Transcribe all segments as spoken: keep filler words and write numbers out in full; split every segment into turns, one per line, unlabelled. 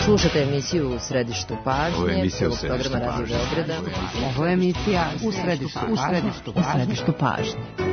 Slušate emisiju U središtu pažnje.
Ovo je emisija U
središtu pažnje.
Ovo je emisija U središtu, u središtu, u središtu pažnje.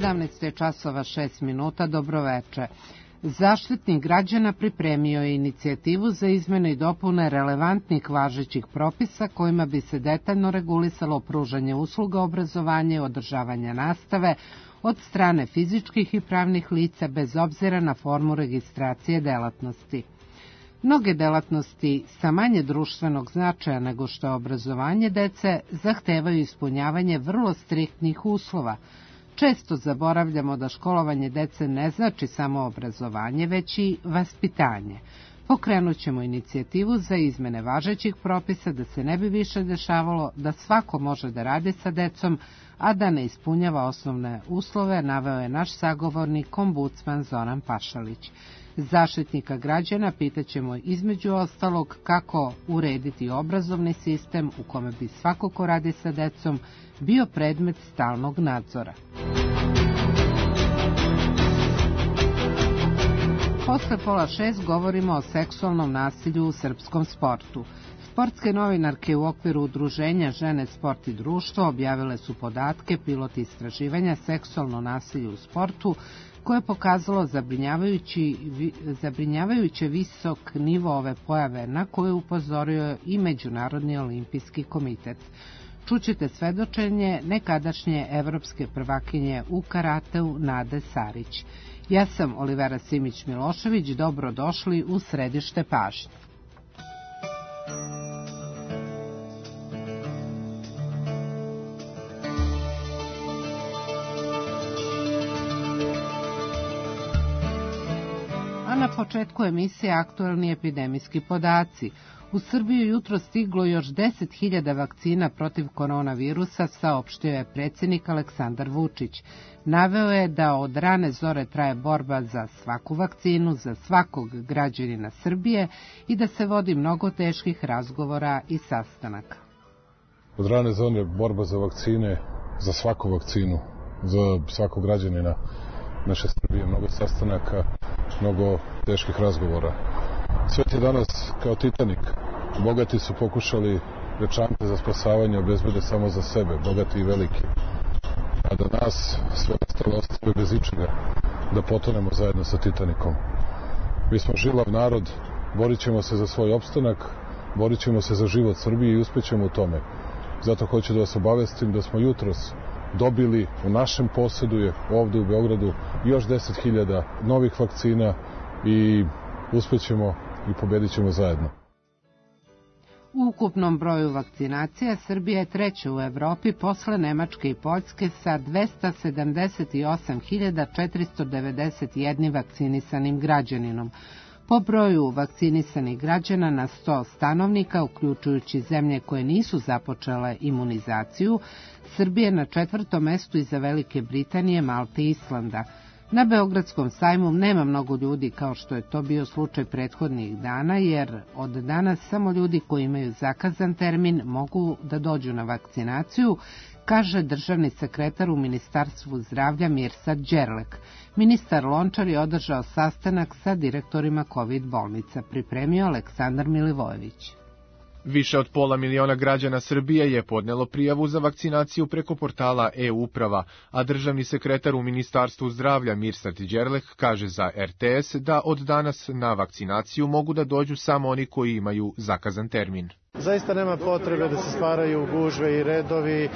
sedamnaest časova šest minuta, dobroveče. Zaštitnik građana pripremio je inicijativu za izmene i dopune relevantnih važećih propisa kojima bi se detaljno regulisalo pružanje usluga obrazovanja i održavanja nastave od strane fizičkih i pravnih lica bez obzira na formu registracije delatnosti. Mnoge delatnosti sa manje društvenog značaja nego što je obrazovanje dece zahtevaju ispunjavanje vrlo striktnih uslova. Često zaboravljamo da školovanje dece ne znači samo obrazovanje, već i vaspitanje. Pokrenut ćemo inicijativu za izmene važećih propisa da se ne bi više dešavalo da svako može da radi sa decom, a da ne ispunjava osnovne uslove, naveo je naš sagovornik, ombudsman Zoran Pašalić. Zaštitnika građana pitaćemo između ostalog kako urediti obrazovni sistem u kome bi svako ko radi sa decom bio predmet stalnog nadzora. Posle pola šest govorimo o seksualnom nasilju u srpskom sportu. Sportske novinarke u okviru udruženja Žene, sport i društvo objavile su podatke pilot istraživanja seksualno nasilje u sportu koje je pokazalo zabrinjavajući, zabrinjavajuće visok nivo ove pojave na koje je upozorio i Međunarodni olimpijski komitet. Čućete svedočenje nekadašnje evropske prvakinje u karateu Nade Sarić. Ja sam Olivera Simić-Milošević, dobrodošli u središte pažnje. A na početku emisije aktuelni epidemijski podaci. U Srbiju jutro stiglo još deset hiljada vakcina protiv koronavirusa, saopštio je predsjednik Aleksandar Vučić. Naveo je da od rane zore traje borba za svaku vakcinu, za svakog građanina Srbije i da se vodi mnogo teških razgovora i sastanaka.
Od rane zore borba za vakcine, za svaku vakcinu, za svakog građanina naše Srbije, mnogo sastanaka, mnogo teških razgovora. Svet je danas kao Titanik. Bogati su pokušali večante za spasavanje obezbede samo za sebe, bogati i veliki. A da nas sve ostalo ostave bez ičega, da potonemo zajedno sa Titanikom. Mi smo žilav narod, borit ćemo se za svoj opstanak, borit ćemo se za život Srbije i uspećemo u tome. Zato hoću da vas obavestim da smo jutros dobili, u našem posedu je ovde u Beogradu još deset hiljada novih vakcina i uspećemo i pobedit ćemo zajedno.
U ukupnom broju vakcinacija Srbija je treća u Evropi posle Nemačke i Poljske sa dvesta sedamdeset osam hiljada četiristo devedeset jedan vakcinisanim građaninom. Po broju vakcinisanih građana na sto stanovnika, uključujući zemlje koje nisu započele imunizaciju, Srbija je na četvrtom mestu iza Velike Britanije, Malte i Islanda. Na Beogradskom sajmu nema mnogo ljudi kao što je to bio slučaj prethodnih dana, jer od danas samo ljudi koji imaju zakazan termin mogu da dođu na vakcinaciju, kaže državni sekretar u Ministarstvu zdravlja Mirsad Đerlek. Ministar Lončar je održao sastanak sa direktorima kovid bolnica, pripremio Aleksandar Milivojević.
Više od pola miliona građana Srbije je podnelo prijavu za vakcinaciju preko portala e-uprava, a državni sekretar u Ministarstvu zdravlja Mirsad Đerlek kaže za er te es da od danas na vakcinaciju mogu da dođu samo oni koji imaju zakazan termin.
Zaista nema potrebe da se stvaraju gužve i redovi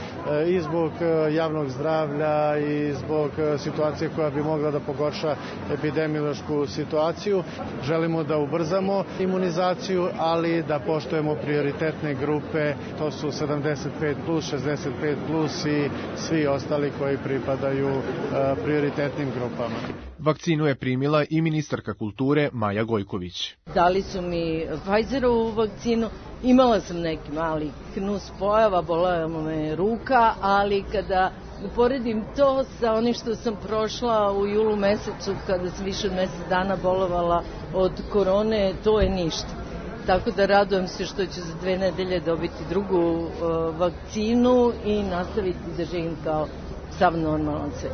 i zbog javnog zdravlja i zbog situacije koja bi mogla da pogorša epidemiološku situaciju. Želimo da ubrzamo imunizaciju, ali da poštujemo prioritetne grupe, to su sedamdeset pet plus, šezdeset pet plus i svi ostali koji pripadaju prioritetnim grupama.
Vakcinu je primila i ministarka kulture Maja Gojković.
Dali su mi Pfizerovu vakcinu, imala sam neki mali knus pojava, bolela me ruka, ali kada uporedim to sa onim što sam prošla u julu mesecu, kada sam više od mesec dana bolovala od korone, to je ništa. Tako da radujem se što ću za dve nedelje dobiti drugu uh, vakcinu i nastaviti da živim kao sav normalan svet.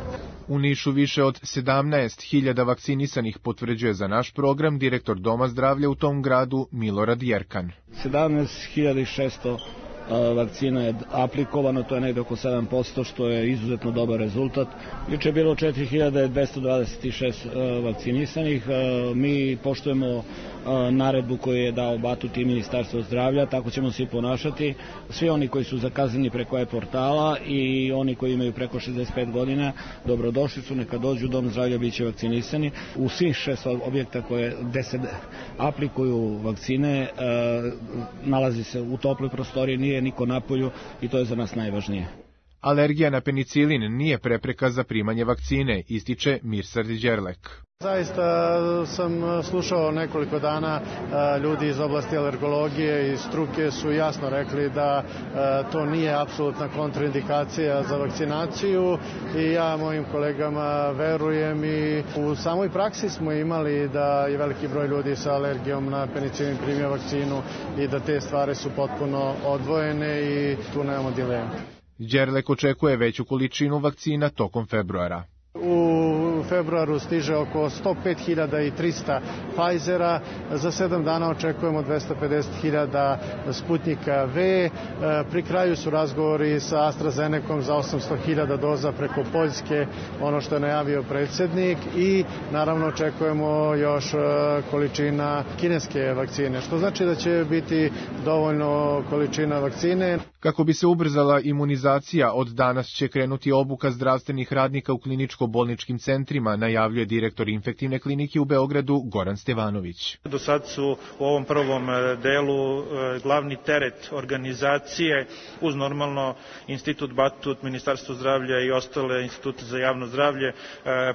U Nišu više od sedamnaest hiljada vakcinisanih potvrđuje za naš program direktor Doma zdravlja u tom gradu Milorad Jerkan.
sedamnaest hiljada šesto vakcina je aplikovano, to je negde oko sedam posto, što je izuzetno dobar rezultat. Juče je bilo četiri hiljade dvesta dvadeset šest vakcinisanih. Mi poštujemo naredbu koju je dao Batut i Ministarstvo zdravlja, tako ćemo se i ponašati. Svi oni koji su zakazani preko e-portala i oni koji imaju preko šezdeset pet godina, dobrodošli su, neka dođu u Dom zdravlja, bit će vakcinisani. U svih šest objekta koje deset aplikuju vakcine, nalazi se u toploj prostoriji, nije niko napolju i to je za nas najvažnije.
Alergija na penicilin nije prepreka za primanje vakcine, ističe Mirsad Đerlek.
Zaista sam slušao nekoliko dana ljudi iz oblasti alergologije i struke su jasno rekli da to nije apsolutna kontraindikacija za vakcinaciju i ja mojim kolegama verujem i u samoj praksi smo imali da je veliki broj ljudi sa alergijom na penicilin primio vakcinu i da te stvari su potpuno odvojene i tu nemamo dilemu.
Đerlek očekuje veću količinu vakcina tokom februara.
U februaru stiže oko sto pet hiljada trista Pfizera, za sedam dana očekujemo dvesta pedeset hiljada Sputnika V, pri kraju su razgovori sa AstraZenecom za osamsto hiljada doza preko Poljske, ono što je najavio predsjednik i naravno očekujemo još količina kineske vakcine, što znači da će biti dovoljno količina vakcine.
Kako bi se ubrzala imunizacija, od danas će krenuti obuka zdravstvenih radnika u kliničko-bolničkim centrima, najavljuje direktor infektivne klinike u Beogradu Goran Stevanović.
Do sad su u ovom prvom delu glavni teret organizacije uz normalno Institut Batut, Ministarstvo zdravlja i ostale institute za javno zdravlje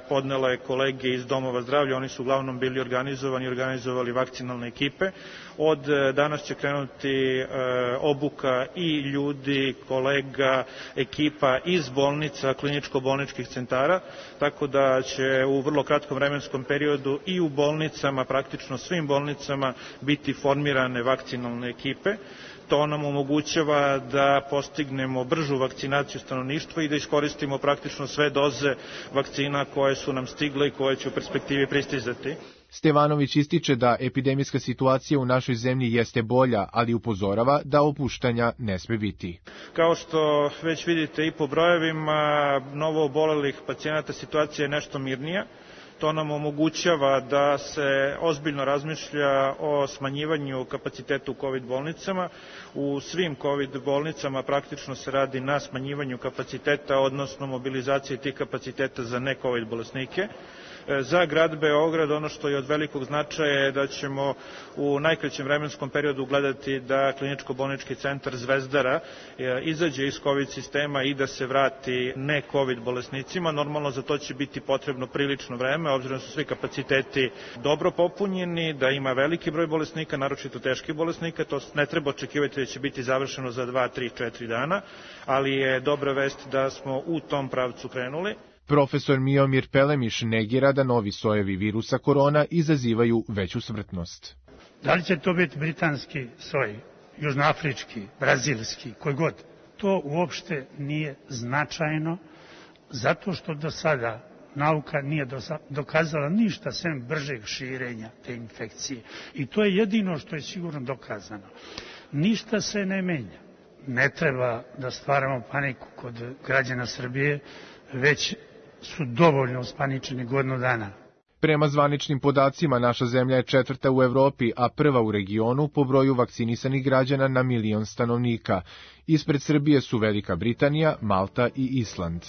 podnele kolege iz domova zdravlja. Oni su uglavnom bili organizovani i organizovali vakcinalne ekipe. Od danas će krenuti obuka i ljudi, kolega, ekipa iz bolnica, kliničko-bolničkih centara, tako da će u vrlo kratkom vremenskom periodu i u bolnicama, praktično svim bolnicama, biti formirane vakcinalne ekipe. To nam omogućava da postignemo bržu vakcinaciju stanovništva i da iskoristimo praktično sve doze vakcina koje su nam stigle i koje će u perspektivi pristizati.
Stevanović ističe da epidemijska situacija u našoj zemlji jeste bolja, ali upozorava da opuštanja ne sme biti.
Kao što već vidite i po brojevima novo obolelih pacijenata, situacija je nešto mirnija. To nam omogućava da se ozbiljno razmišlja o smanjivanju kapaciteta u COVID bolnicama. U svim COVID bolnicama praktično se radi na smanjivanju kapaciteta, odnosno mobilizaciji tih kapaciteta za ne COVID bolesnike. Za grad Beograd ono što je od velikog značaja je da ćemo u najkraćem vremenskom periodu gledati da kliničko-bolnički centar Zvezdara izađe iz COVID sistema i da se vrati ne COVID bolesnicima. Normalno za to će biti potrebno prilično vreme, obzirom da su svi kapaciteti dobro popunjeni, da ima veliki broj bolesnika, naročito teških bolesnika. To ne treba očekivati da će biti završeno za dva, tri, četiri dana, ali je dobra vest da smo u tom pravcu krenuli.
Profesor Miomir Pelemiš negira da novi sojevi virusa korona izazivaju veću smrtnost.
Da li će to biti britanski soj, južnoafrički, brazilski, koji god? To uopšte nije značajno, zato što do sada nauka nije dokazala ništa sem bržeg širenja te infekcije. I to je jedino što je sigurno dokazano. Ništa se ne menja. Ne treba da stvaramo paniku kod građana Srbije, već su dovoljno uspaničeni godinu dana.
Prema zvaničnim podacima, naša zemlja je četvrta u Evropi, a prva u regionu po broju vakcinisanih građana na milion stanovnika. Ispred Srbije su Velika Britanija, Malta i Island.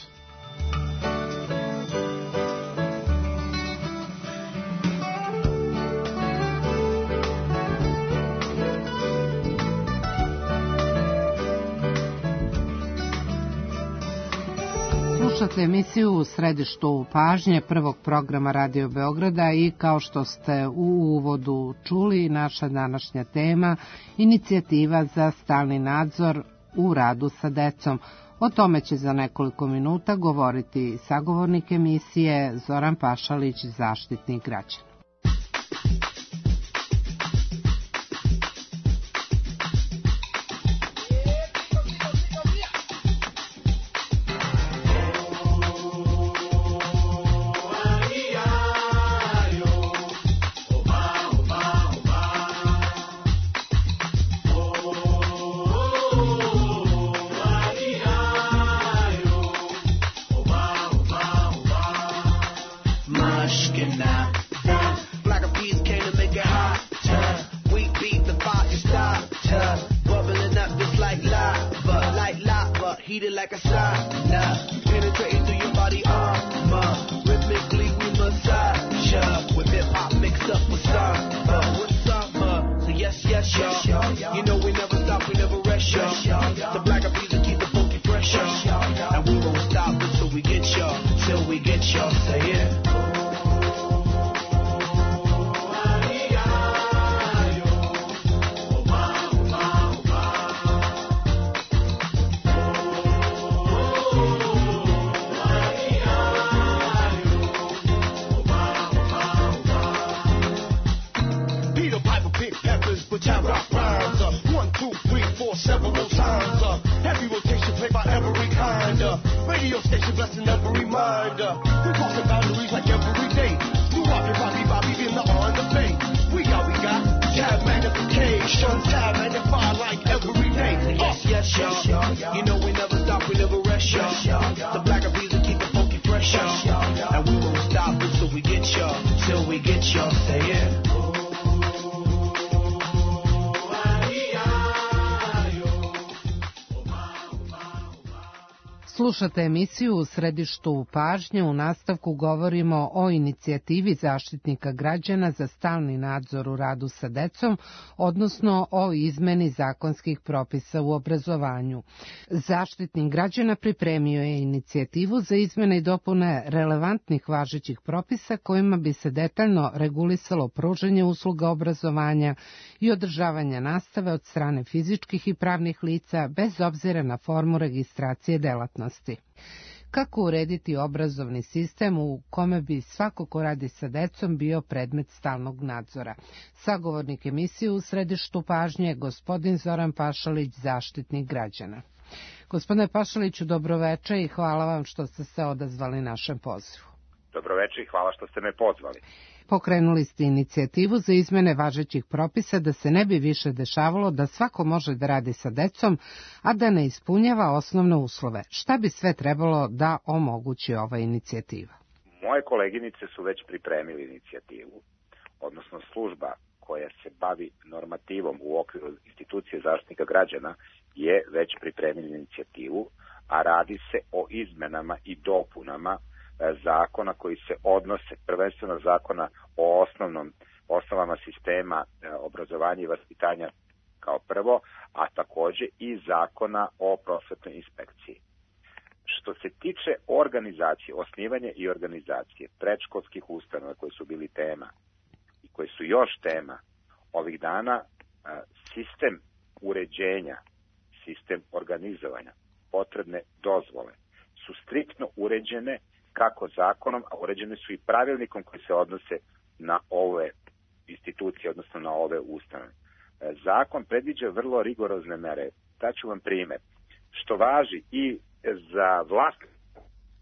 Slušate emisiju U središtu pažnje prvog programa Radio Beograda i kao što ste u uvodu čuli, naša današnja tema inicijativa za stalni nadzor u radu sa decom. O tome će za nekoliko minuta govoriti sagovornik emisije Zoran Pašalić, Zaštitnik građana. Slušate emisiju U središtu pažnje. U nastavku govorimo o inicijativi Zaštitnika građana za stalni nadzor u radu sa decom, odnosno o izmeni zakonskih propisa u obrazovanju. Zaštitnik građana pripremio je inicijativu za izmene i dopune relevantnih važećih propisa kojima bi se detaljno regulisalo pružanje usluga obrazovanja i održavanja nastave od strane fizičkih i pravnih lica bez obzira na formu registracije delatnosti. Kako urediti obrazovni sistem u kome bi svako ko radi sa decom bio predmet stalnog nadzora? Sagovornik emisije U središtu pažnje je gospodin Zoran Pašalić, Zaštitnik građana. Gospodine Pašaliću, dobroveče i hvala vam što ste se odazvali našem pozivu.
Dobroveče i hvala što ste me pozvali.
Pokrenuli ste inicijativu za izmene važećih propisa da se ne bi više dešavalo da svako može da radi sa decom, a da ne ispunjava osnovne uslove. Šta bi sve trebalo da omogući ova inicijativa?
Moje koleginice su već pripremili inicijativu, odnosno služba koja se bavi normativom u okviru institucije Zaštitnika građana je već pripremila inicijativu, a radi se o izmenama i dopunama zakona koji se odnose, prvenstveno zakona o osnovnom, osnovama sistema obrazovanja i vaspitanja kao prvo, a takođe i zakona o prosvetnoj inspekciji. Što se tiče organizacije, osnivanja i organizacije predškolskih ustanova koji su bili tema i koji su još tema ovih dana, sistem uređenja, sistem organizovanja, potrebne dozvole su striktno uređene kako zakonom, a uređene su i pravilnikom koji se odnose na ove institucije, odnosno na ove ustanove. Zakon predviđa vrlo rigorozne mere. Daću vam primer. Što važi i za vlasnika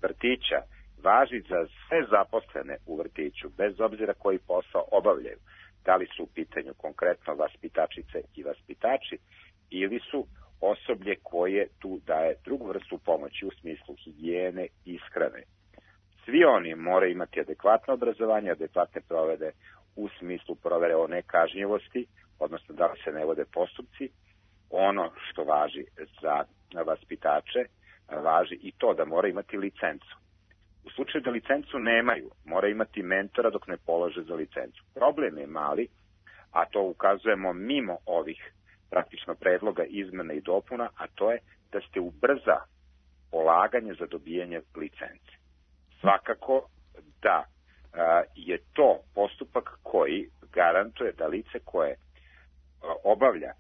vrtića, važi za sve zaposlene u vrtiću, bez obzira koji posao obavljaju. Da li su u pitanju konkretno vaspitačice i vaspitači ili su osoblje koje tu daje drugu vrstu pomoći u smislu higijene i ishrane. Svi oni moraju imati adekvatno obrazovanje, adekvatne provede u smislu provere o nekažnjivosti, odnosno da li se ne vode postupci. Ono što važi za vaspitače, važi i to da mora imati licencu. U slučaju da licencu nemaju, mora imati mentora dok ne polože za licencu. Problem je mali, a to ukazujemo mimo ovih praktično predloga izmena i dopuna, a to je da se ubrza polaganje za dobijanje licence. Svakako da a, je to postupak koji garantuje da lice koje a, obavlja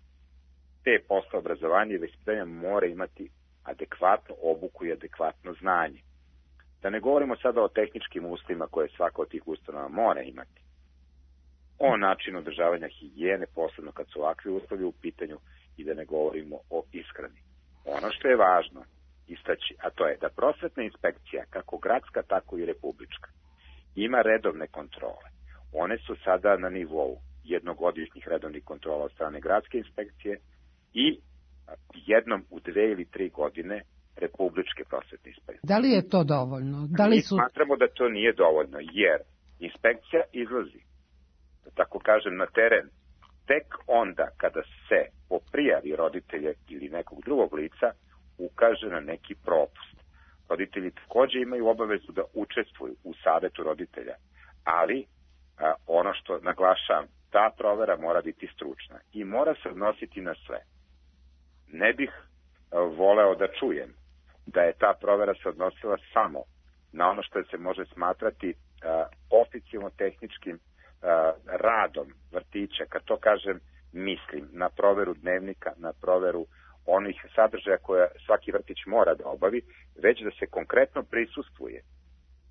te posle obrazovanja i vaspitanja mora imati adekvatnu obuku i adekvatno znanje. Da ne govorimo sada o tehničkim uslovima koje svaka od tih ustanova mora imati. O načinu održavanja higijene, posebno kad su ovakvi uslovi u pitanju, i da ne govorimo o ishrani. Ono što je važno istaći, a to je da prosvetna inspekcija, kako gradska, tako i republička, ima redovne kontrole. One su sada na nivou jednogodišnjih redovnih kontrola od strane gradske inspekcije i jednom u dve ili tri godine republičke prosvetne inspekcije.
Da li je to dovoljno? Da li su...
Mi smatramo da to nije dovoljno, jer inspekcija izlazi, da tako kažem, na teren tek onda kada se po prijavi roditelja ili nekog drugog lica ukaže na neki propust. Roditelji takođe imaju obavezu da učestvuju u savetu roditelja, ali a, ono što naglašavam, ta provera mora biti stručna i mora se odnositi na sve. Ne bih a, voleo da čujem da je ta provera se odnosila samo na ono što se može smatrati a, oficijalno tehničkim a, radom vrtića. Kad to kažem, mislim na proveru dnevnika, na proveru onih sadržaja koje svaki vrtić mora da obavi, već da se konkretno prisustvuje,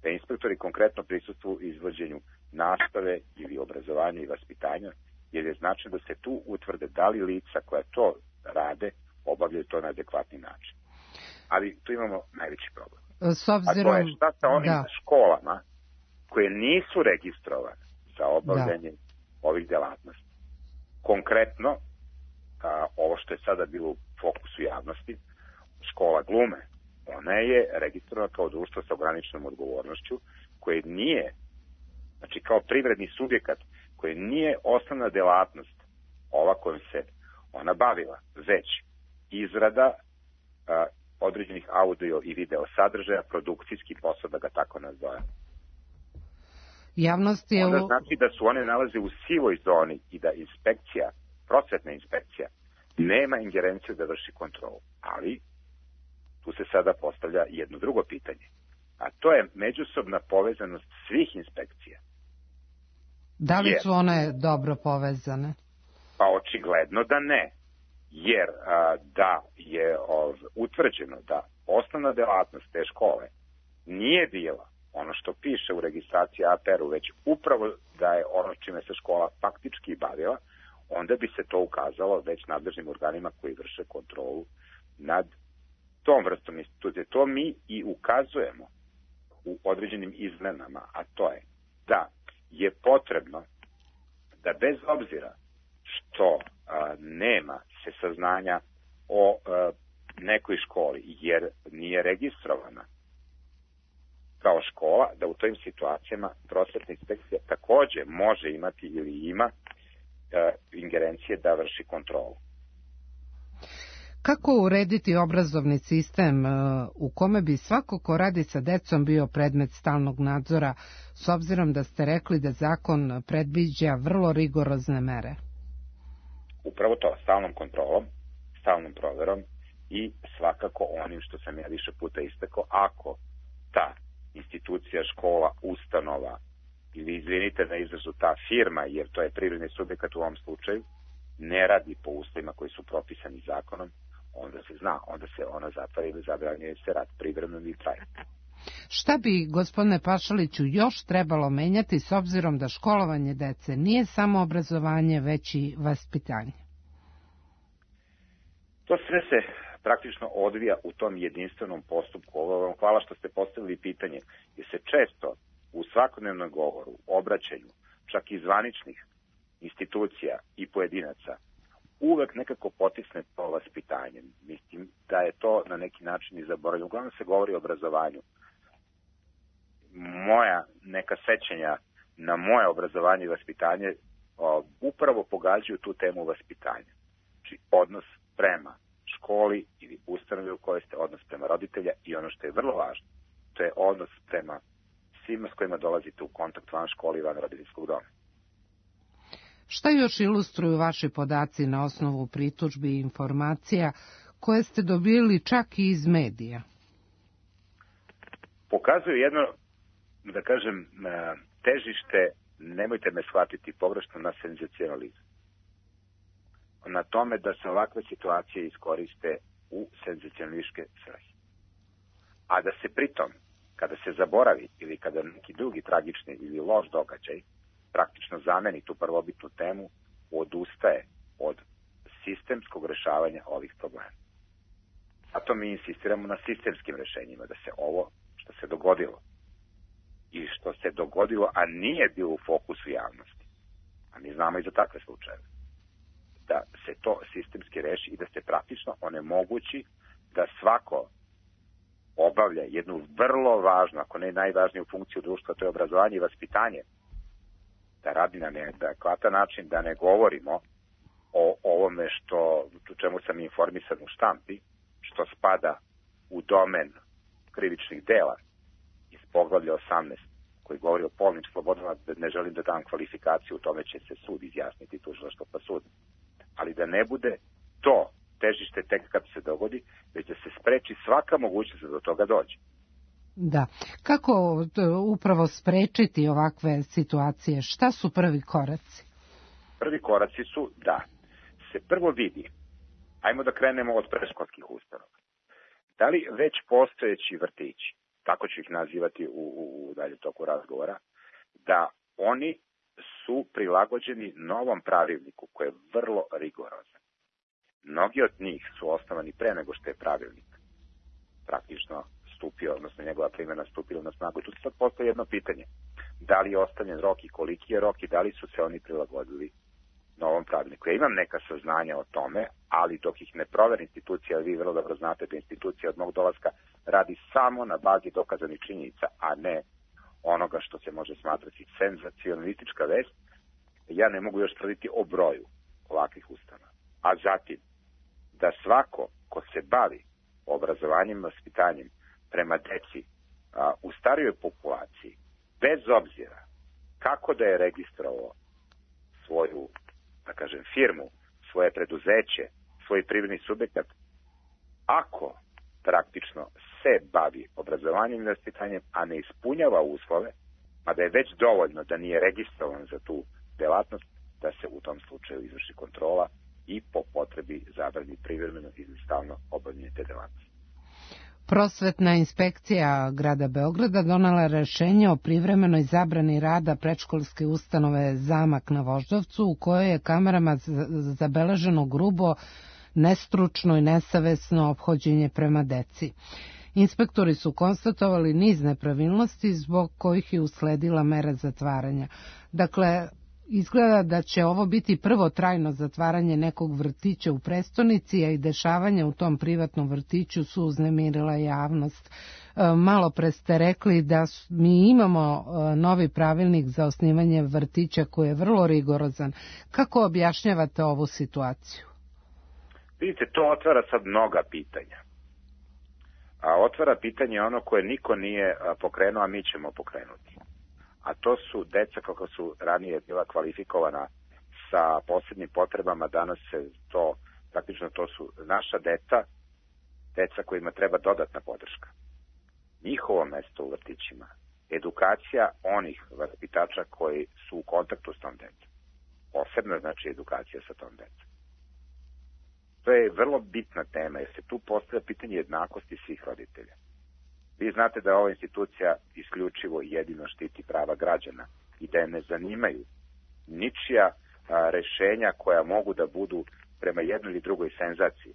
da inspektori konkretno prisustvuju izvođenju nastave ili obrazovanja i vaspitanja, jer je značajno da se tu utvrde da li lica koja to rade obavljaju to na adekvatni način. Ali tu imamo najveći problem.
S obzirom...
A to je šta sa onim
da.
školama koje nisu registrovane za obavljanje da. ovih delatnosti. Konkretno, a, ovo što je sada bilo u fokusu javnosti, škola glume, ona je registrovana kao društvo sa ograničenom odgovornošću, koje nije, znači kao privredni subjekat, koje nije osnovna delatnost ova kojom se ona bavila, već izrada a, određenih audio i video sadržaja, produkcijski posao, da ga tako nazovem.
Javnost je...
Onda znači da su one nalaze u sivoj zoni i da inspekcija, prosvetna inspekcija, nema ingerenciju da vrši kontrolu. Ali tu se sada postavlja jedno drugo pitanje, a to je međusobna povezanost svih inspekcija.
Da li
jer,
su one dobro povezane?
Pa očigledno da ne, jer a, da je ov, utvrđeno da osnovna delatnost te škole nije bila ono što piše u registraciji A P R-u, već upravo da je ono čime se škola faktički bavila, onda bi se to ukazalo već nadležnim organima koji vrše kontrolu nad tom vrstom institucije. To mi i ukazujemo u određenim izmenama, a to je da je potrebno da bez obzira što a, nema se saznanja o a, nekoj školi, jer nije registrovana kao škola, da u tojim situacijama prosvetna inspekcija takođe može imati ili ima e, ingerencije da vrši kontrolu.
Kako urediti obrazovni sistem u kome bi svako ko radi sa decom bio predmet stalnog nadzora, s obzirom da ste rekli da zakon predviđa vrlo rigorozne mere?
Upravo to, stalnom kontrolom, stalnom proverom i svakako onim što sam ja više puta istakao, ako ta institucija, škola, ustanova ili izvinite na izrazu ta firma, jer to je privredni subjekat u ovom slučaju, ne radi po uslovima koji su propisani zakonom, onda se zna, onda se ona zatvara ili zabranjuje se rad privremeno ili trajno.
Šta bi, gospodine Pašaliću, još trebalo menjati s obzirom da školovanje dece nije samo obrazovanje, već i vaspitanje?
To sve se praktično odvija u tom jedinstvenom postupku. Hvala što ste postavili pitanje, jer se često u svakodnevnom govoru, obraćanju, čak i zvaničnih institucija i pojedinaca, uvek nekako potisne to vaspitanje. Mislim da je to na neki način i zaboravljeno. Uglavnom se govori o obrazovanju. moja neka sećanja na moje obrazovanje i vaspitanje o, upravo pogađaju tu temu vaspitanja. Znači odnos prema školi ili ustanovi u kojoj ste, odnos prema roditelja i ono što je vrlo važno, to je odnos prema svima s kojima dolazite u kontakt van školi i van roditeljskog doma.
Šta još ilustruju vaši podaci na osnovu pritužbi i informacija koje ste dobili čak i iz medija?
Pokazuju jedno, da kažem, težište, nemojte me shvatiti pogrešno, na senzacionalizam. Na tome da se ovakve situacije iskoriste u senzacionalističke svrhe. A da se pritom, kada se zaboravi ili kada neki drugi tragični ili loš događaj praktično zameni tu prvobitnu temu, odustaje od sistemskog rešavanja ovih problema. Zato mi insistiramo na sistemskim rešenjima, da se ovo što se dogodilo i što se dogodilo, a nije bilo u fokusu javnosti, a mi znamo i za takve slučajeve, da se to sistemski reši i da se praktično onemogući da svako obavlja jednu vrlo važnu, ako ne najvažniju funkciju društva, to je obrazovanje i vaspitanje, da radi na neadekvatan način, da ne govorimo o ovome što, u čemu sam informisan u štampi, što spada u domen krivičnih dela iz poglavlja osamnaest, koji govori o polnim slobodama, ne želim da dam kvalifikaciju, u tome će se sud izjasniti, tužilaštvo pa sud. Ali da ne bude to težište tek kad se dogodi, već da se spreči svaka mogućnost da do toga dođe.
Da. Kako upravo sprečiti ovakve situacije? Šta su prvi koraci?
Prvi koraci su da se prvo vidi, ajmo da krenemo od predškolskih ustanova. Da li već postojeći vrtići, tako ću ih nazivati u, u, u dalje toku razgovora, da oni su prilagođeni novom pravilniku koji je vrlo rigorozan. Mnogi od njih su osnovani pre nego što je pravilnik praktično stupio, odnosno njegova primjena stupila na snagu. Tu se sad postoji jedno pitanje. Da li je ostavljen rok i koliki je rok i da li su se oni prilagodili novom pravilniku. Ja imam neka saznanja o tome, ali dok ih ne proveri institucija, vi vrlo dobro znate da institucija od mog dolaska radi samo na bazi dokazanih činjenica, a ne onoga što se može smatrati senzacionalistička vest, ja ne mogu još tvrditi o broju ovakvih ustanova. A zatim, da svako ko se bavi obrazovanjem i vaspitanjem prema deci a, u starijoj populaciji, bez obzira kako da je registrovao svoju, da kažem, firmu, svoje preduzeće, svoj privredni subjekat, ako praktično se bavi obrazovanjem i vaspitanjem, a ne ispunjava uslove, a da je već dovoljno da nije registrovan za tu delatnost, da se u tom slučaju izvrši kontrola i po potrebi zabrani privremeno ili stalno obavljanje te delatnosti.
Prosvetna inspekcija grada Beograda donela rešenje o privremenoj zabrani rada predškolske ustanove Zamak na Voždovcu, u kojoj je kamerama zabeleženo grubo, nestručno i nesavesno ophođenje prema deci. Inspektori su konstatovali niz nepravilnosti zbog kojih je usledila mera zatvaranja. Dakle, izgleda da će ovo biti prvo trajno zatvaranje nekog vrtića u prestonici, a i dešavanja u tom privatnom vrtiću su uznemirila javnost. Malo pre ste rekli da mi imamo novi pravilnik za osnivanje vrtića koji je vrlo rigorozan. Kako objašnjavate ovu situaciju?
Vidite, to otvara sad mnoga pitanja. A otvara pitanje ono koje niko nije pokrenuo, a mi ćemo pokrenuti. A to su deca kako su ranije bila kvalifikovana sa posebnim potrebama, danas se to, praktično to su naša deca, deca kojima treba dodatna podrška. Njihovo mesto u vrtićima, edukacija onih vaspitača koji su u kontaktu s tom decom. Posebno znači edukacija sa tom decom. To je vrlo bitna tema jer se tu postavlja pitanje jednakosti svih roditelja. Vi znate da ova institucija isključivo i jedino štiti prava građana i da je ne zanimaju ničija a, rešenja koja mogu da budu prema jednoj ili drugoj senzaciji.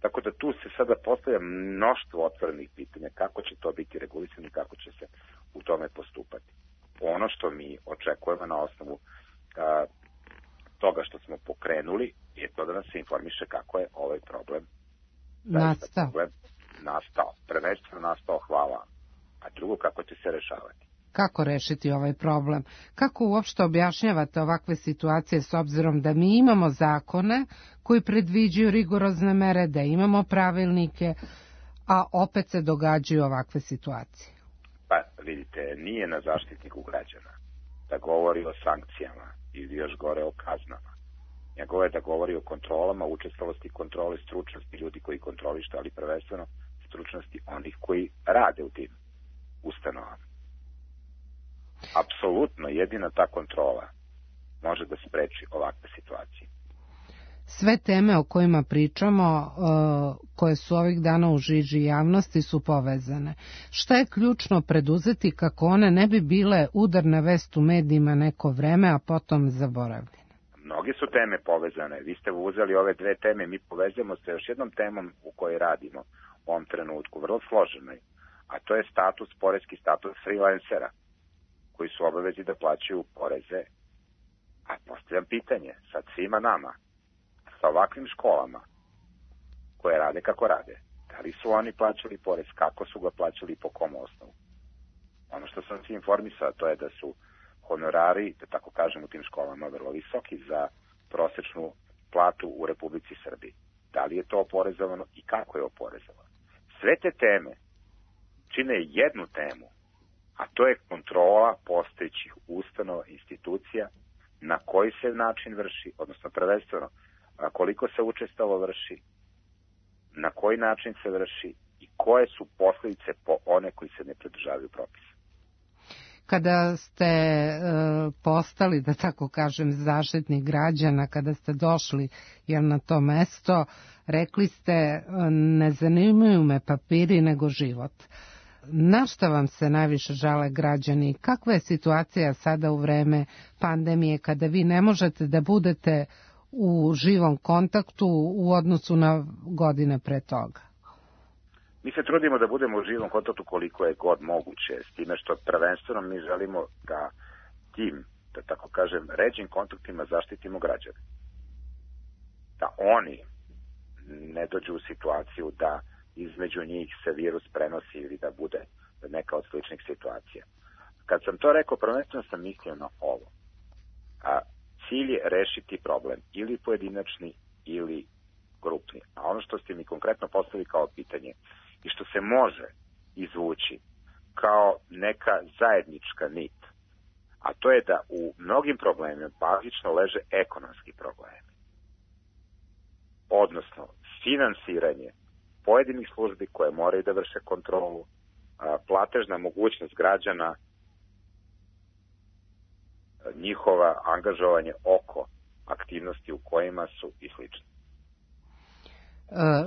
Tako da tu se sada postavlja mnoštvo otvorenih pitanja kako će to biti regulisano i kako će se u tome postupati. Ono što mi očekujemo na osnovu a, toga što smo pokrenuli je to da nas se informiše kako je ovaj problem
nastao.
Problem nastao. Prvenstveno nastao, hvala a drugo kako će se rešavati.
Kako rešiti ovaj problem? Kako uopšte objašnjavate ovakve situacije s obzirom da mi imamo zakone koji predviđaju rigorozne mere, da imamo pravilnike, a opet se događaju ovakve situacije?
Pa vidite, nije na Zaštitniku građana da govori o sankcijama ili još gore o kaznama. Nego je da govori o kontrolama, učestalosti kontrole, stručnosti ljudi koji kontrolišu, ali prvenstveno stručnosti onih koji rade u tim ustanovama. Apsolutno jedina ta kontrola može da spreči ovakve situacije.
Sve teme o kojima pričamo, koje su ovih dana u žiži javnosti, su povezane. Šta je ključno preduzeti kako one ne bi bile udarna vest u medijima neko vreme, a potom zaboravljene?
Mnoge su teme povezane. Vi ste uzeli ove dve teme, mi povezujemo sa još jednom temom u kojoj radimo u ovom trenutku, vrlo složenoj, a to je status, poreski status freelancera, koji su obavezi da plaćaju poreze. A postavljam pitanje sad svima nama, sa ovakvim školama koje rade kako rade, da li su oni plaćali porez, kako su ga plaćali i po kom osnovu? Ono što sam se informisao, to je da su honorari, da tako kažem, u tim školama vrlo visoki za prosečnu platu u Republici Srbiji. Da li je to oporezovano i kako je oporezovano? Sve te teme čine jednu temu, a to je kontrola postojećih ustanova, institucija, na koji se način vrši, odnosno prvenstveno koliko se učestalo vrši, na koji način se vrši i koje su posljedice po one koji se ne pridržavaju propisa.
Kada ste e, postali, da tako kažem, zaštitnik građana, kada ste došli jel, na to mesto, rekli ste ne zanimaju me papiri nego život. Na šta vam se najviše žale građani? Kakva je situacija sada u vreme pandemije kada vi ne možete da budete u živom kontaktu u odnosu na godine pre toga?
Mi se trudimo da budemo u živom kontaktu koliko je god moguće, s time što prvenstveno mi želimo da tim, da tako kažem, ređim kontaktima zaštitimo građane. Da oni ne dođu u situaciju da između njih se virus prenosi ili da bude neka od sličnih situacija. Kad sam to rekao, prvenstveno sam mislio na ovo. A cilj je rešiti problem, ili pojedinačni, ili grupni. A ono što ste mi konkretno postavili kao pitanje i što se može izvući kao neka zajednička nit, a to je da u mnogim problemima bazično leže ekonomski problemi. Odnosno, finansiranje pojedinih službi koje moraju da vrše kontrolu, platežna mogućnost građana, njihova angažovanje oko aktivnosti u kojima su i slično.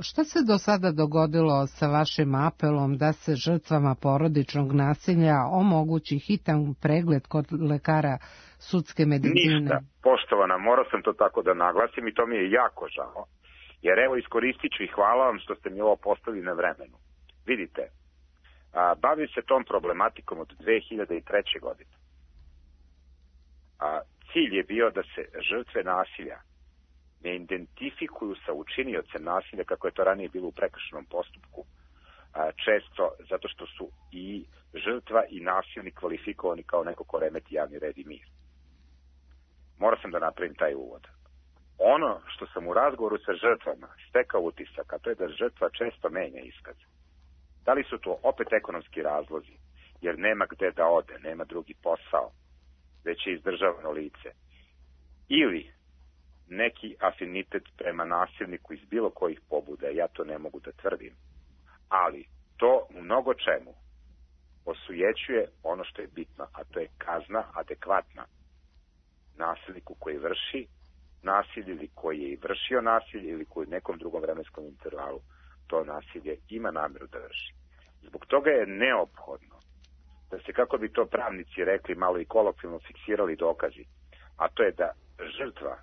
Šta se do sada dogodilo sa vašim apelom da se žrtvama porodičnog nasilja omogući hitan pregled kod lekara sudske medicine?
Ništa, poštovana, morao sam to tako da naglasim i to mi je jako žao. Jer evo iskoristit ću i hvala vam što ste mi ovo postavili na vremenu. Vidite, a, bavim se tom problematikom od dve hiljade treće. godine. A, cilj je bio da se žrtve nasilja ne identifikuju sa učiniocem nasilja kako je to ranije bilo u prekršajnom postupku. A, često zato što su i žrtva i nasilnik kvalifikovani kao neko ko remeti javni red i mir. Morao sam da napravim taj uvod. Ono što sam u razgovoru sa žrtvama stekao utisak, a to je da žrtva često menja iskaz. Da li su to opet ekonomski razlozi, jer nema gde da ode, nema drugi posao, već je izdržavano lice, ili neki afinitet prema nasilniku iz bilo kojih pobuda, ja to ne mogu da tvrdim, ali to u mnogo čemu osujećuje ono što je bitno, a to je kazna adekvatna nasilniku koji vrši nasilje ili koji je i vršio nasilje ili koji u nekom drugom vremenskom intervalu to nasilje ima namjeru da vrši. Zbog toga je neophodno da se, kako bi to pravnici rekli, malo i kolokvijalno fiksirali dokazi, a to je da žrtva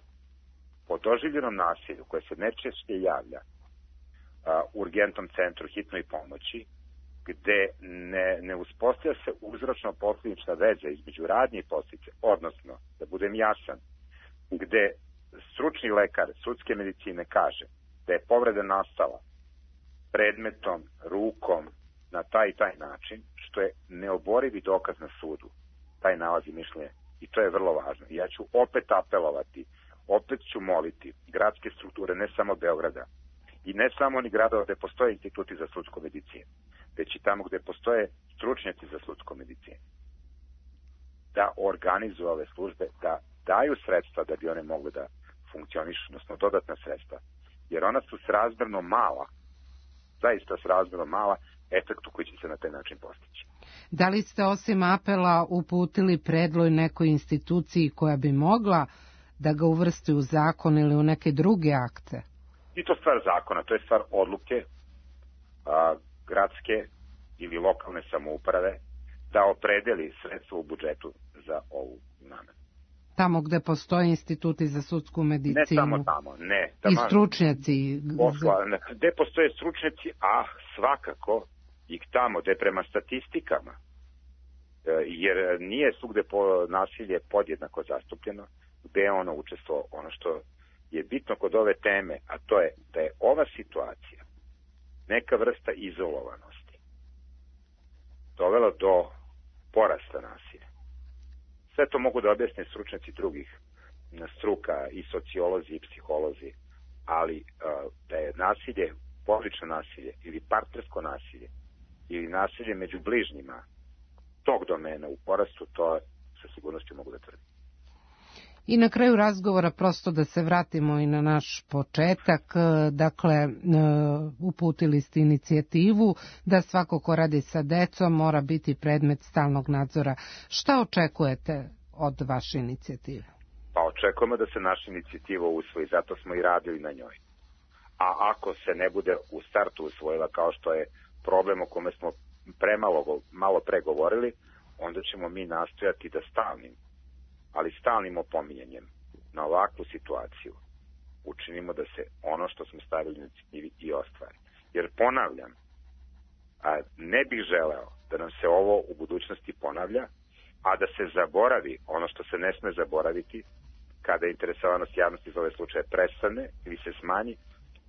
po doživljenom nasilju koje se najčešće javlja a, u urgentnom centru hitnoj pomoći, gde ne, ne uspostavlja se uzročno-posljedična veza između radnje i posljedice, odnosno, da budem jasan, gde stručni lekar sudske medicine kaže da je povreda nastala predmetom, rukom, na taj i taj način, što je neoborivi dokaz na sudu, taj nalaz i mišljenje, i to je vrlo važno. Ja ću opet apelovati, opet ću moliti gradske strukture, ne samo Beograda, i ne samo oni gradova gde postoje instituti za sudsku medicinu, već i tamo gde postoje stručnjaci za sudsku medicinu, da organizuju ove službe, da daju sredstva da bi one mogle da funkcionišu, odnosno dodatna sredstva, jer ona su srazmerno mala, zaista srazmerno mala efektu koji će se na taj način postići.
Da li ste osim apela uputili predlog nekoj instituciji koja bi mogla da ga uvrsti u zakon ili u neke druge akte?
I to stvar zakona, to je stvar odluke a, gradske ili lokalne samouprave da opredeli sredstva u budžetu za ovu namenu.
Tamo gde postoje instituti za sudsku medicinu?
Ne samo tamo, ne.
I stručnjaci?
Posla, gde postoje stručnjaci, a svakako i tamo gde prema statistikama, jer nije svugde po nasilje podjednako zastupljeno, gde je ono učestvovalo. Ono što je bitno kod ove teme, a to je da je ova situacija neka vrsta izolovanosti dovela do porasta nasilja. Sve to mogu da objasne stručnjaci drugih struka, i sociolozi i psiholozi, ali da je nasilje, porodično nasilje ili partnersko nasilje ili nasilje među bližnjima tog domena u porastu, to sa sigurnošću mogu da tvrdim.
I na kraju razgovora, prosto da se vratimo i na naš početak, dakle, uputili ste inicijativu da svako ko radi sa decom mora biti predmet stalnog nadzora. Šta očekujete od vaše inicijative?
Pa očekujemo da se naša inicijativa usvoji, zato smo i radili na njoj. A ako se ne bude u startu usvojila, kao što je problem o kome smo premalo, malo pregovorili, onda ćemo mi nastojati da stalnim, ali stalnim opominjanjem na ovakvu situaciju učinimo da se ono što smo stavili na inicijativi i ostvari. Jer ponavljam, a ne bih želeo da nam se ovo u budućnosti ponavlja, a da se zaboravi ono što se ne sme zaboraviti kada interesovanost javnosti za ove slučaje prestane ili se smanji,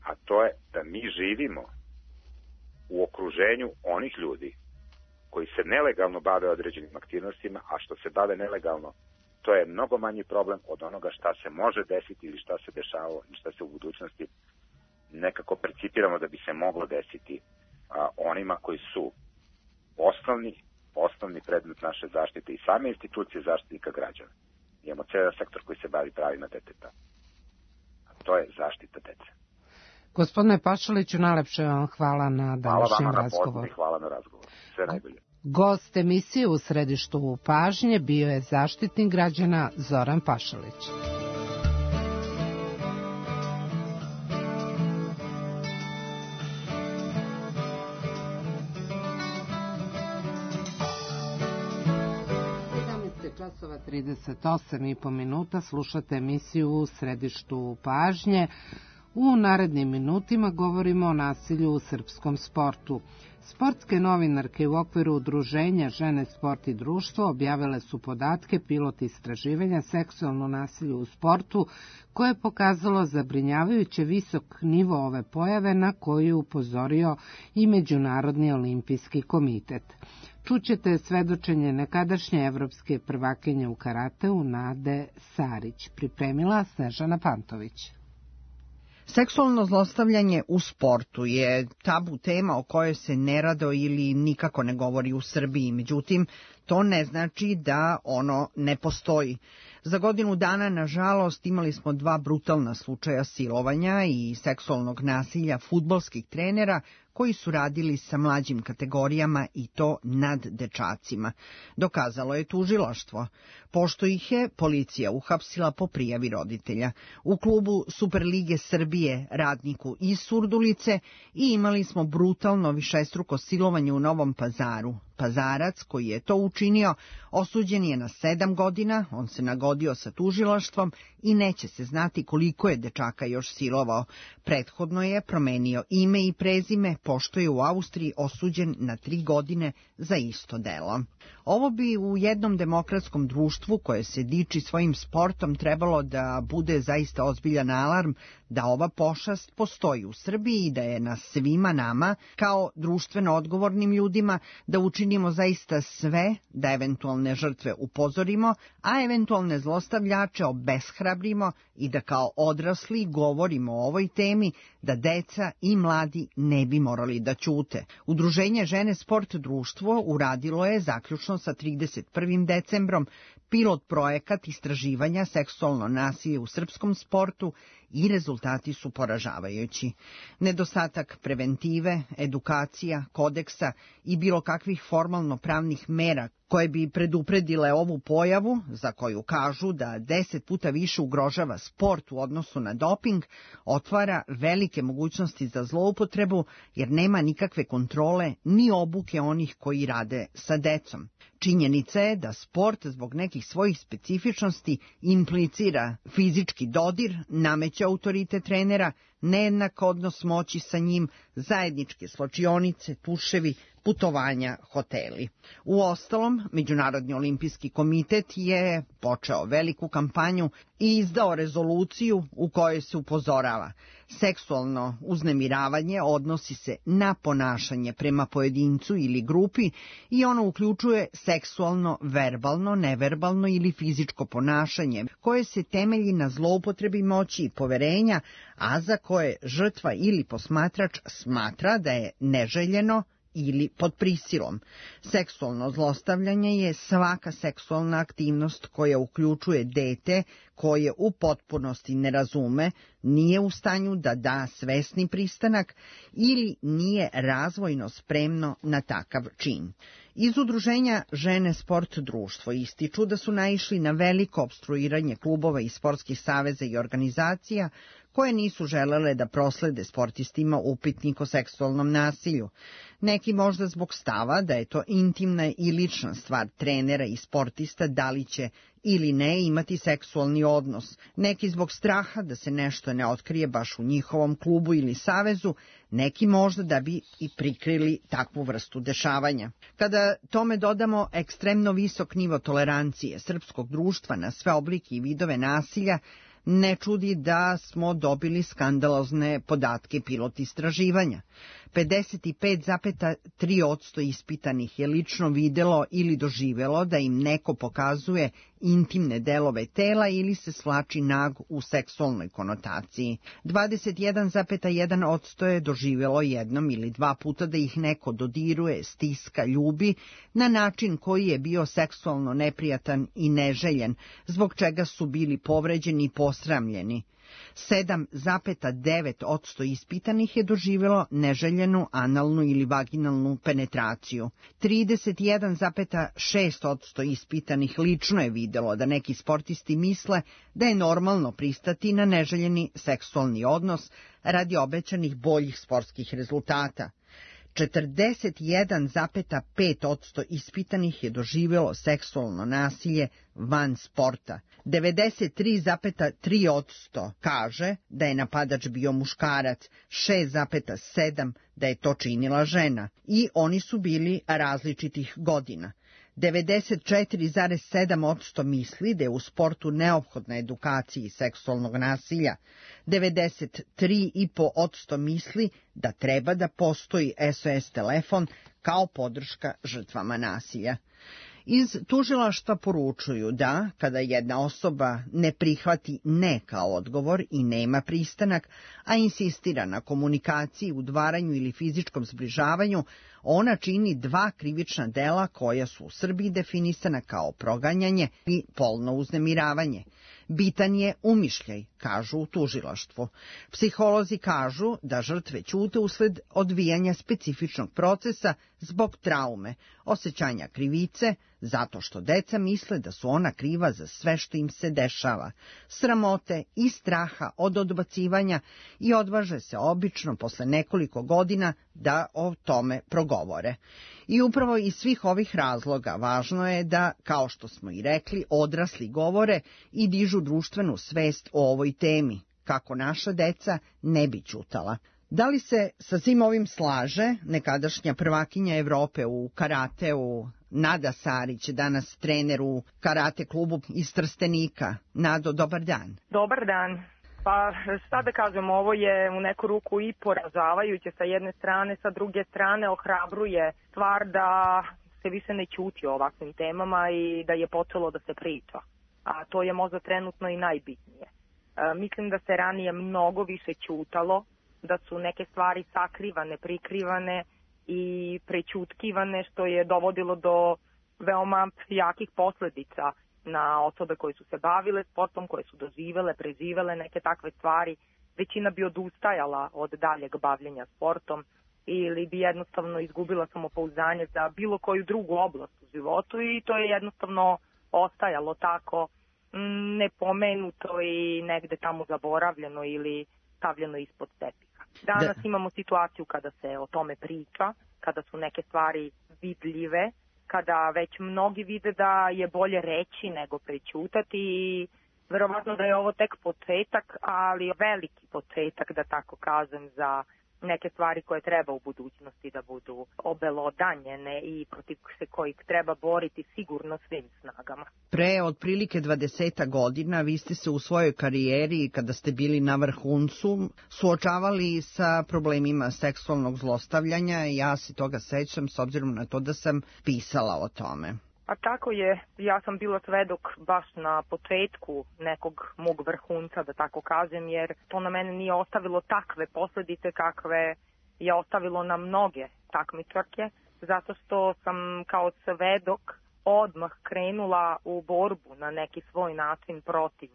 a to je da mi živimo u okruženju onih ljudi koji se nelegalno bave određenim aktivnostima, a što se bave nelegalno, to je mnogo manji problem od onoga šta se može desiti ili šta se dešavalo i šta se u budućnosti nekako percipiramo da bi se moglo desiti a, onima koji su osnovni, osnovni predmet naše zaštite i same institucije zaštitnika građana. Imamo cijel sektor koji se bavi pravima deteta. A to je zaštita dece.
Gospodine Pašaliću, najlepše vam hvala na današnjem razgovoru.
Hvala vam na pozivu i hvala na razgovor. Sve najbolje.
Gost emisije u središtu pažnje bio je Zaštitnik građana Zoran Pašalić. Časova trideset osam i po minuta, slušate emisiju u središtu pažnje. U narednim minutima govorimo o nasilju u srpskom sportu. Sportske novinarke u okviru udruženja Žene, sport i društvo objavile su podatke pilot istraživanja seksualno nasilje u sportu, koje je pokazalo zabrinjavajuće visok nivo ove pojave na koju je upozorio i Međunarodni olimpijski komitet. Čućete svedočenje nekadašnje evropske prvakinje u karateu Nade Sarić, pripremila Snežana Pantović.
Seksualno zlostavljanje u sportu je tabu tema o kojoj se nerado ili nikako ne govori u Srbiji, međutim, to ne znači da ono ne postoji. Za godinu dana, nažalost, imali smo dva brutalna slučaja silovanja i seksualnog nasilja fudbalskih trenera koji su radili sa mlađim kategorijama i to nad dečacima. Dokazalo je tužilaštvo, pošto ih je policija uhapsila po prijavi roditelja. U klubu Superlige Srbije, Radniku iz Surdulice, i imali smo brutalno višestruko silovanje u Novom Pazaru. Pazarac koji je to učinio osuđen je na sedam godina, on se nagodio sa tužilaštvom i neće se znati koliko je dečaka još silovao. Prethodno je promenio ime i prezime, pošto je u Austriji osuđen na tri godine za isto delo. Ovo bi u jednom demokratskom društvu koje se diči svojim sportom trebalo da bude zaista ozbiljan alarm da ova pošast postoji u Srbiji i da je na svima nama, kao društveno odgovornim ljudima, da učinimo zaista sve da eventualne žrtve upozorimo, a eventualne zlostavljače obeshrabrimo i da kao odrasli govorimo o ovoj temi, da deca i mladi ne bi morali da ćute. Udruženje Žene sport društvo uradilo je zaključno sa trideset prvim decembrom pilot projekat istraživanja seksualno nasilje u srpskom sportu i rezultati su poražavajući. Nedostatak preventive, edukacija, kodeksa i bilo kakvih formalno pravnih mera koje bi predupredile ovu pojavu, za koju kažu da deset puta više ugrožava sport u odnosu na doping, otvara velike mogućnosti za zloupotrebu jer nema nikakve kontrole ni obuke onih koji rade sa decom. Činjenica je da sport zbog nekih svojih specifičnosti implicira fizički dodir, nameće autoritet trenera, nejednak odnos moći sa njim, zajedničke slačionice, tuševi, putovanja, hoteli. Uostalom, Međunarodni olimpijski komitet je počeo veliku kampanju i izdao rezoluciju u kojoj se upozorava: seksualno uznemiravanje odnosi se na ponašanje prema pojedincu ili grupi i ono uključuje seksualno, verbalno, neverbalno ili fizičko ponašanje koje se temelji na zloupotrebi moći i poverenja, a za koje žrtva ili posmatrač smatra da je neželjeno ili pod prisilom. Seksualno zlostavljanje je svaka seksualna aktivnost koja uključuje dete koje u potpunosti ne razume, nije u stanju da da svesni pristanak ili nije razvojno spremno na takav čin. Iz udruženja Žene sport društvo ističu da su naišli na veliko opstruiranje klubova i sportskih saveza i organizacija koje nisu želele da proslede sportistima upitnik o seksualnom nasilju. Neki možda zbog stava da je to intimna i lična stvar trenera i sportista da li će ili ne imati seksualni odnos, neki zbog straha da se nešto ne otkrije baš u njihovom klubu ili savezu, neki možda da bi i prikrili takvu vrstu dešavanja. Kada tome dodamo ekstremno visok nivo tolerancije srpskog društva na sve oblike i vidove nasilja, ne čudi da smo dobili skandalozne podatke pilot istraživanja. pedeset pet zarez tri posto ispitanih je lično videlo ili doživelo da im neko pokazuje intimne delove tela ili se svlači nag u seksualnoj konotaciji. dvadeset jedan zarez jedan posto je doživelo jednom ili dva puta da ih neko dodiruje, stiska, ljubi na način koji je bio seksualno neprijatan i neželjen, zbog čega su bili povređeni i posramljeni. sedam zarez devet posto ispitanih je doživjelo neželjenu analnu ili vaginalnu penetraciju. trideset jedan zarez šest posto ispitanih lično je videlo da neki sportisti misle da je normalno pristati na neželjeni seksualni odnos radi obećanih boljih sportskih rezultata. četrdeset jedan zarez pet posto ispitanih je doživjelo seksualno nasilje van sporta. devedeset tri zarez tri posto kaže da je napadač bio muškarac, šest zarez sedam posto da je to činila žena i oni su bili različitih godina. devedeset četiri zarez sedam posto misli da je u sportu neophodna edukacija seksualnog nasilja. devedeset tri zarez pet posto misli da treba da postoji S O S telefon kao podrška žrtvama nasilja. Iz tužilaštva poručuju da, kada jedna osoba ne prihvati ne kao odgovor i nema pristanak, a insistira na komunikaciji, udvaranju ili fizičkom zbližavanju, ona čini dva krivična dela koja su u Srbiji definisana kao proganjanje i polno uznemiravanje. Bitan je umišljaj, kažu u tužilaštvu. Psiholozi kažu da žrtve ćute usled odvijanja specifičnog procesa zbog traume, osjećanja krivice, zato što deca misle da su ona kriva za sve što im se dešava, sramote i straha od odbacivanja i odvaže se obično posle nekoliko godina da o tome progovore. I upravo iz svih ovih razloga važno je da, kao što smo i rekli, odrasli govore i dižu društvenu svest o ovoj temi, kako naša deca ne bi ćutala. Da li se sa svim ovim slaže nekadašnja prvakinja Evrope u karateu Nada Sarić, danas trener u karate klubu iz Trstenika. Nado, dobar dan.
Dobar dan. Pa šta da kažem, ovo je u neku ruku i poražavajuće sa jedne strane, sa druge strane ohrabruje stvar da se više ne ćuti o ovakvim temama i da je počelo da se priča. A to je možda trenutno i najbitnije. E, mislim da se ranije mnogo više ćutalo, da su neke stvari sakrivane, prikrivane i prećutkivane, što je dovodilo do veoma jakih posledica na osobe koje su se bavile sportom, koje su doživele, preživele neke takve stvari. Većina bi odustajala od daljeg bavljenja sportom ili bi jednostavno izgubila samopouzdanje za bilo koju drugu oblast u životu i to je jednostavno ostajalo tako nepomenuto i negde tamo zaboravljeno ili stavljeno ispod tepiha. Danas da. imamo situaciju kada se o tome priča, kada su neke stvari vidljive, kada već mnogi vide da je bolje reći nego prećutati i verovatno da je ovo tek početak, ali veliki početak, da tako kažem, za neke stvari koje treba u budućnosti da budu obelodanjene i protiv se kojih treba boriti sigurno svim snagama.
Pre otprilike dvadeset godina vi ste se u svojoj karijeri, kada ste bili na vrhuncu, suočavali sa problemima seksualnog zlostavljanja. Ja se toga sećam s obzirom na to da sam pisala o tome.
A tako je, ja sam bila svedok baš na početku nekog mog vrhunca, da tako kažem, jer to na mene nije ostavilo takve posledice kakve je ostavilo na mnoge takmičarke, zato što sam kao svedok odmah krenula u borbu na neki svoj način protiv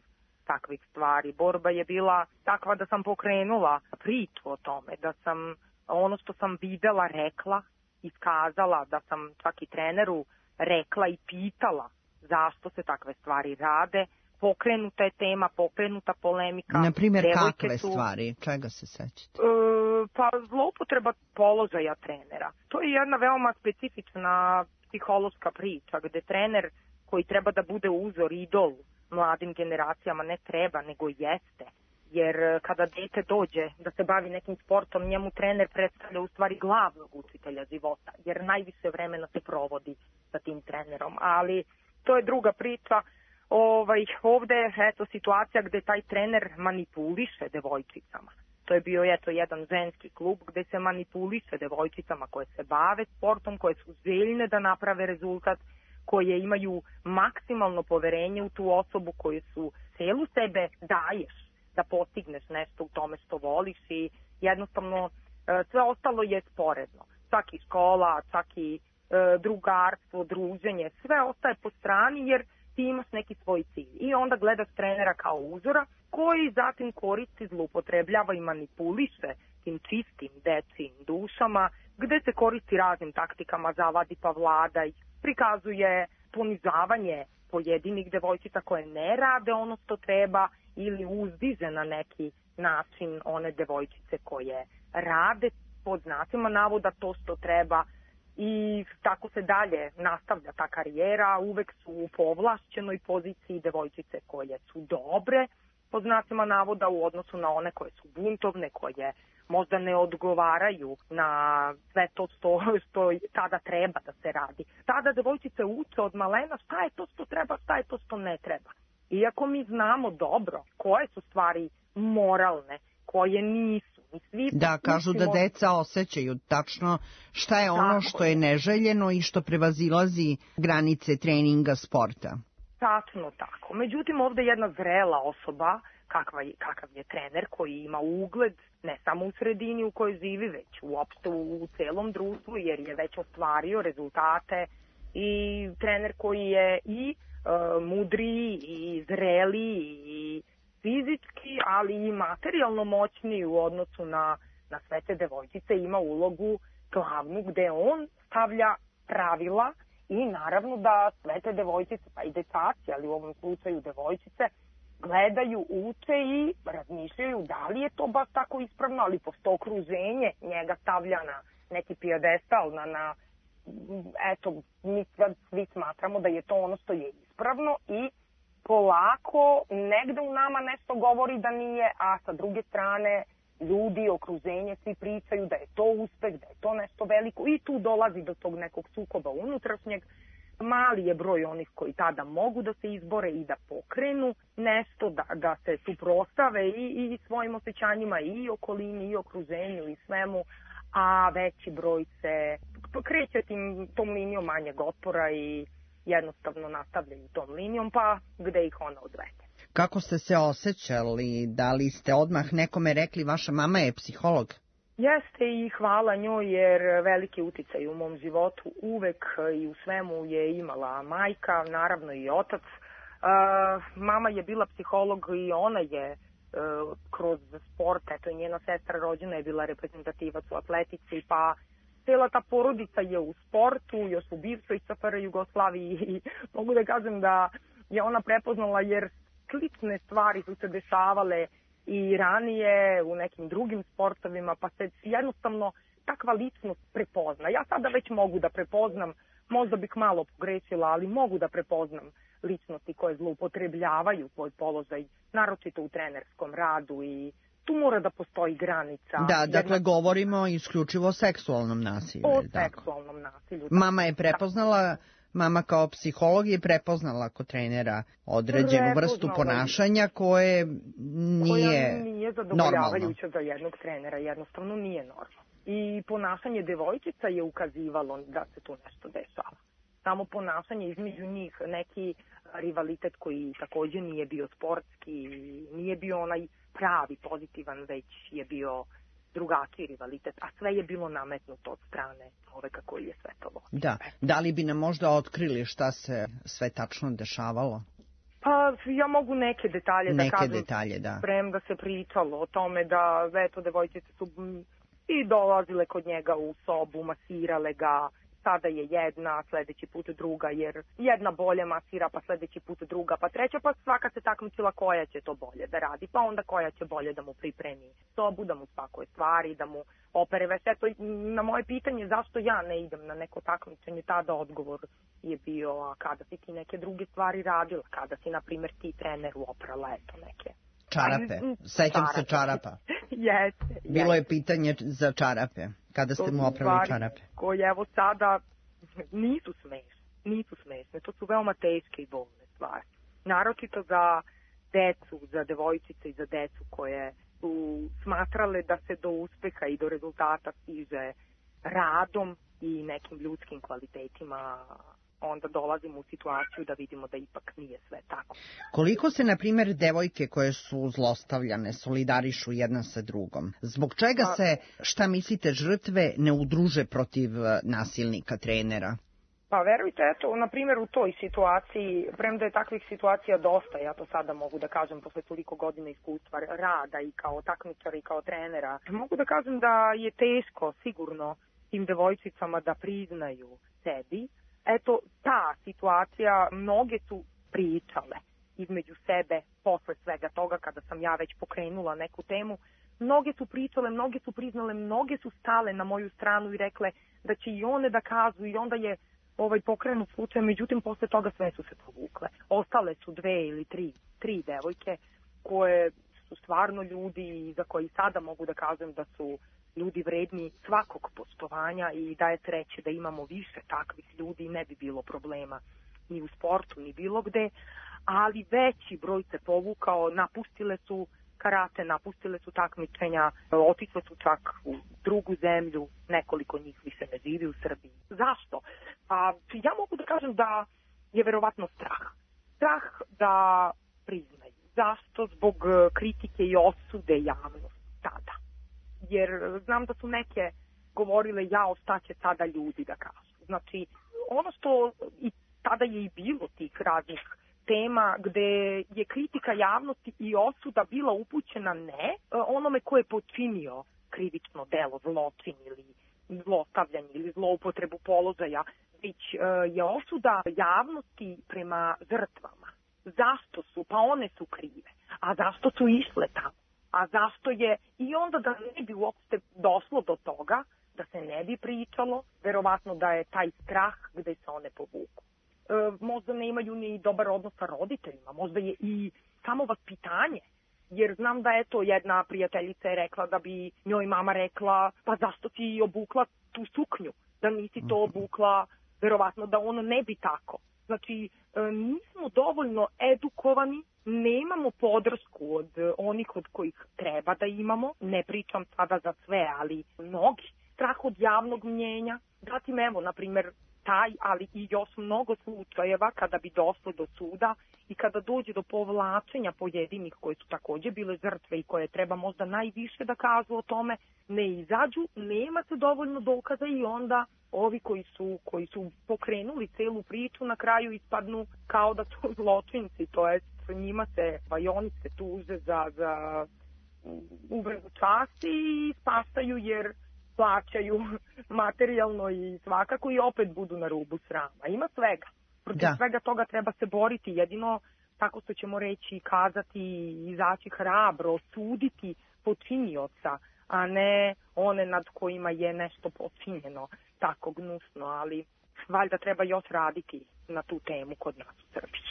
takvih stvari. Borba je bila takva da sam pokrenula priču o tome, da sam ono što sam videla rekla, iskazala, da sam čak i treneru rekla i pitala zašto se takve stvari rade. Pokrenuta je tema, pokrenuta polemika.
Na primjer, kakve su, stvari? Čega se sećate?
E, pa zloupotreba položaja trenera. To je jedna veoma specifična psihološka priča, gde trener koji treba da bude uzor, idol mladim generacijama, ne treba, nego jeste. Jer kada dete dođe da se bavi nekim sportom, njemu trener predstavlja u stvari glavnog učitelja života, jer najviše vremena se provodi sa tim trenerom. Ali to je druga priča. Ovaj, ovde je eto, situacija gde taj trener manipuliše devojčicama. To je bio eto, jedan ženski klub gde se manipuliše devojčicama koje se bave sportom, koje su željne da naprave rezultat, koje imaju maksimalno poverenje u tu osobu, koje su celu sebe daješ da postigneš nešto u tome što voliš i jednostavno sve ostalo je sporedno. Čak i škola, čak i drugarstvo, druženje, sve ostaje po strani jer ti imaš neki svoj cilj. I onda gledaš trenera kao uzora koji zatim koristi, zloupotrebljava i manipuliše tim čistim dečijim dušama, gde se koristi raznim taktikama, zavadi pa vladaj, prikazuje ponižavanje pojedinih devojčica koje ne rade ono što treba ili uzdiže na neki način one devojčice koje rade pod znacima navoda to što treba i tako se dalje nastavlja ta karijera. Uvek su u povlašćenoj poziciji devojčice koje su dobre pod znacima navoda u odnosu na one koje su buntovne, koje možda ne odgovaraju na sve to što, što tada treba da se radi. Tada devojčice uče od malena šta je to što treba, šta je to što ne treba. Iako mi znamo dobro koje su stvari moralne, koje nisu. Mi svi
da, kažu da deca osjećaju tačno šta je ono što je neželjeno i što prevazilazi granice treninga sporta.
Tačno tako. Međutim, ovde je jedna zrela osoba, kakva je, kakav je trener koji ima ugled ne samo u sredini u kojoj živi, već uopšte u, u celom društvu, jer je već ostvario rezultate i trener koji je i uh, mudriji i zreliji i fizički, ali i materijalno moćniji u odnosu na, na sve te devojčice, ima ulogu glavnu gde on stavlja pravila i naravno da sve te devojčice, pa i dečaci, ali u ovom slučaju devojčice, gledaju, uče i razmišljaju da li je to baš tako ispravno, ali pošto okruženje njega stavlja na neki pijedestal, na, na eto, mi svi smatramo da je to ono što je ispravno i polako negde u nama nešto govori da nije, a sa druge strane ljudi, okruženje, svi pričaju da je to uspeh, da je to nešto veliko i tu dolazi do tog nekog sukoba unutrašnjeg. Mali je broj onih koji tada mogu da se izbore i da pokrenu nešto, da, da se suprostave i, i svojim osjećanjima i okolini i okruženju i svemu, a veći broj se kreće tim, tom linijom manjeg otpora i jednostavno nastavljaju tom linijom, pa gde ih ona odvede.
Kako ste se osjećali? Da li ste odmah nekome rekli vaša mama je psiholog?
Jeste i hvala njoj jer veliki uticaj u mom životu uvek i u svemu je imala majka, naravno i otac. Uh, mama je bila psiholog i ona je uh, kroz sport, eto i njena sestra rođena je bila reprezentativac u atletici, pa cela ta porodica je u sportu, još u bivšoj S F R Jugoslaviji i mogu da kažem da je ona prepoznala jer slične stvari su se dešavale i ranije u nekim drugim sportovima, pa se jednostavno takva ličnost prepozna. Ja sada već mogu da prepoznam, možda bih malo pogrešila, ali mogu da prepoznam ličnosti koje zloupotrebljavaju svoj položaj, naročito u trenerskom radu i tu mora da postoji granica.
Da, dakle, jedna... govorimo isključivo o seksualnom nasilju.
O seksualnom nasilju.
Mama je prepoznala... Mama kao psiholog je prepoznala kod trenera određenu vrstu ponašanja koje nije,
koja nije zadovoljavajuća za jednog trenera, jednostavno nije normalno. I ponašanje devojčica je ukazivalo da se tu nešto dešava. Samo ponašanje između njih, neki rivalitet koji takođe nije bio sportski, nije bio onaj pravi, pozitivan, već je bio drugačiji rivalitet, a sve je bilo nametnuto od strane čoveka koji je sve to vodio.
Da, da li bi nam možda otkrili šta se sve tačno dešavalo?
Pa ja mogu neke detalje
neke
da kažem.
Neke detalje, da.
Premda se pričalo o tome da eto devojčice su i dolazile kod njega u sobu, masirale ga, sada je jedna, sledeći put druga, jer jedna bolje masira, pa sledeći put druga, pa treća, pa svaka se takmičila koja će to bolje da radi, pa onda koja će bolje da mu pripremi sobu, da mu spakuje stvari, da mu opere veš. Eto, na moje pitanje zašto ja ne idem na neko takmičenje, tada odgovor je bio, a kada si ti neke druge stvari radila, kada si, na primjer, ti treneru oprala, eto, neke.
Čarape, sećam se čarapa.
Jeste.
Bilo je pitanje za čarape, kada ste mu oprali čarape.
Koje evo sada nisu smešne, nisu smešne, to su veoma teške i bolne stvari. Naročito za decu, za devojčice i za decu koje su smatrale da se do uspeha i do rezultata stiže radom i nekim ljudskim kvalitetima, onda dolazimo u situaciju da vidimo da ipak nije sve tako.
Koliko se, na primjer, devojke koje su zlostavljane solidarišu jedna sa drugom? Zbog čega se, šta mislite, žrtve ne udruže protiv nasilnika, trenera?
Pa verujte, eto, na primjer u toj situaciji, premda je takvih situacija dosta, ja to sada mogu da kažem posle toliko godina iskustva rada i kao takmičara i kao trenera, mogu da kažem da je teško sigurno tim devojčicama da priznaju sebi. Eto, ta situacija, mnoge su pričale između sebe posle svega toga, kada sam ja već pokrenula neku temu. Mnoge su pričale, mnoge su priznale, mnoge su stale na moju stranu i rekle da će i one da kažu i onda je ovaj pokrenut slučaj, međutim posle toga sve su se povukle. Ostale su dve ili tri, tri devojke koje su stvarno ljudi i za koji sada mogu da kažem da su ljudi vredni svakog poštovanja i da je sreće da imamo više takvih ljudi, ne bi bilo problema ni u sportu, ni bilo gde, ali veći broj se povukao, napustile su karate, napustile su takmičenja, otišle su čak u drugu zemlju, nekoliko njih više ne živi u Srbiji. Zašto? Pa ja mogu da kažem da je verovatno strah. Strah da priznaju. Zašto? Zbog kritike i osude javnosti tada. Jer znam da su neke govorile jao šta će sada ljudi da kažu. Znači, ono što i tada je i bilo tih raznih tema gde je kritika javnosti i osuda bila upućena ne onome ko je počinio krivično delo, zločin ili zlostavljanje ili zloupotrebu položaja, već je osuda javnosti prema žrtvama. Zašto su? Pa one su krive. A zašto su išle tamo? A zašto je, i onda da ne bi uopšte došlo do toga, da se ne bi pričalo, verovatno da je taj strah gde se one povuku. E, možda ne imaju ni dobar odnos sa roditeljima, možda je i samo vaspitanje Jer znam da eto jedna prijateljica je rekla da bi njoj mama rekla pa zašto ti obukla tu suknju, da nisi to obukla, verovatno da ono ne bi tako. Znači, nismo dovoljno edukovani, nemamo podršku od onih od kojih treba da imamo, ne pričam sada za sve, ali mnogi. Strah od javnog mnjenja, zatim evo, na primjer, taj, ali i još mnogo slučajeva kada bi došlo do suda i kada dođe do povlačenja pojedinih koje su takođe bile žrtve i koje treba možda najviše da kažu o tome, ne izađu, nema se dovoljno dokaza i onda ovi koji su, koji su pokrenuli celu priču na kraju ispadnu kao da su zločinci, to jest njima se, pa i oni se tuže za, za uvredu časti i spastaju jer plaćaju materijalno i svakako i opet budu na rubu srama. Ima svega. Protiv da. svega toga treba se boriti. Jedino tako što ćemo reći, kazati, izaći hrabro, osuditi počinioca, a ne one nad kojima je nešto počinjeno tako gnusno, ali valjda treba još raditi na tu temu kod nas u Srbiji.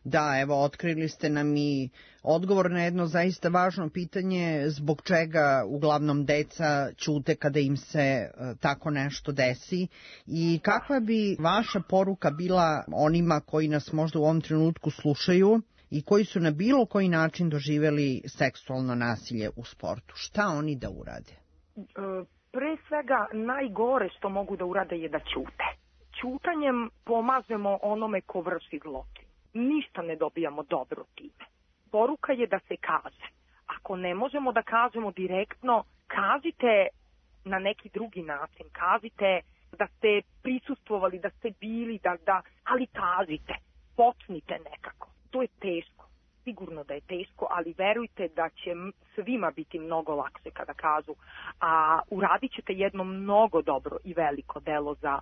Da, evo, otkrili ste nam i odgovor na jedno zaista važno pitanje zbog čega uglavnom deca ćute kada im se uh, tako nešto desi i kakva bi vaša poruka bila onima koji nas možda u ovom trenutku slušaju i koji su na bilo koji način doživeli seksualno nasilje u sportu? Šta oni da urade?
Pre svega, najgore što mogu da urade je da ćute. Ćutanjem pomažemo onome ko vrši zločin. Ništa ne dobijamo dobro time. Poruka je da se kaže. Ako ne možemo da kažemo direktno, kažite na neki drugi način. Kažite da ste prisustvovali, da ste bili, da, da, ali kažite. Počnite nekako. To je teško. Sigurno da je teško, ali verujte da će svima biti mnogo lakše kada kažu. A uradit ćete jedno mnogo dobro i veliko delo za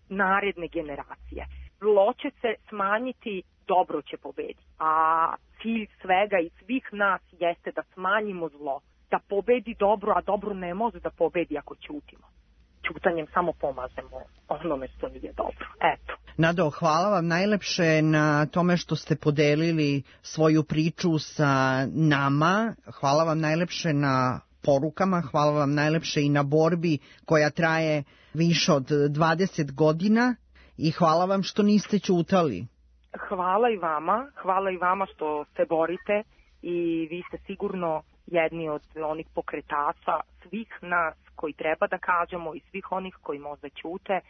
naredne generacije. Zlo će se smanjiti, dobro će pobediti. A cilj svega i svih nas jeste da smanjimo zlo, da pobedi dobro, a dobro ne može da pobedi ako ćutimo. Ćutanjem samo pomažemo onome što nije dobro. Eto.
Nado, hvala vam najlepše na tome što ste podelili svoju priču sa nama. Hvala vam najlepše na porukama, hvala vam najlepše i na borbi koja traje više od dvadeset godina i hvala vam što niste ćutali.
Hvala i vama, hvala i vama što se borite i vi ste sigurno jedni od onih pokretača svih nas koji treba da kažemo i svih onih koji možda ćute,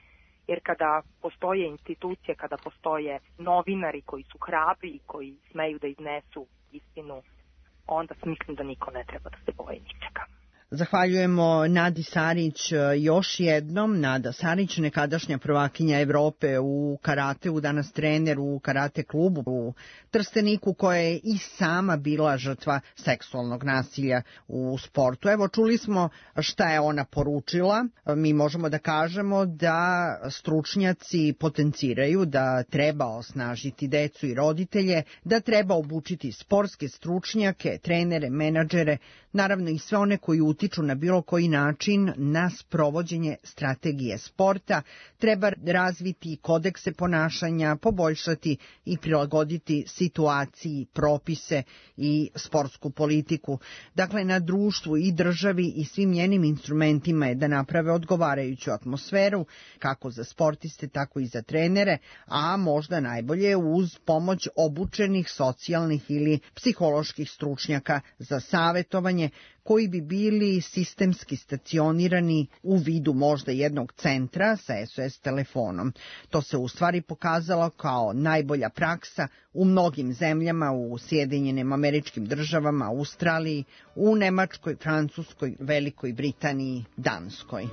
jer kada postoje institucije, kada postoje novinari koji su hrabri i koji smeju da iznesu istinu, onda mislim da niko ne treba da se boji ničega.
Zahvaljujemo Nadi Sarić još jednom. Nada Sarić, nekadašnja prvakinja Evrope u karateu, danas trener u karate klubu u Trsteniku, koja je i sama bila žrtva seksualnog nasilja u sportu. Evo, čuli smo šta je ona poručila. Mi možemo da kažemo da stručnjaci potenciraju da treba osnažiti decu i roditelje, da treba obučiti sportske stručnjake, trenere, menadžere, naravno i sve one koji utiču na bilo koji način na sprovođenje strategije sporta, treba razviti kodekse ponašanja, poboljšati i prilagoditi situaciji, propise i sportsku politiku. Dakle, na društvu i državi i svim njenim instrumentima je da naprave odgovarajuću atmosferu, kako za sportiste, tako i za trenere, a možda najbolje uz pomoć obučenih socijalnih ili psiholoških stručnjaka za savetovanje, koji bi bili sistemski stacionirani u vidu možda jednog centra sa S O S telefonom. To se u stvari pokazalo kao najbolja praksa u mnogim zemljama, u Sjedinjenim Američkim Državama, Australiji, u Nemačkoj, Francuskoj, Velikoj Britaniji, Danskoj.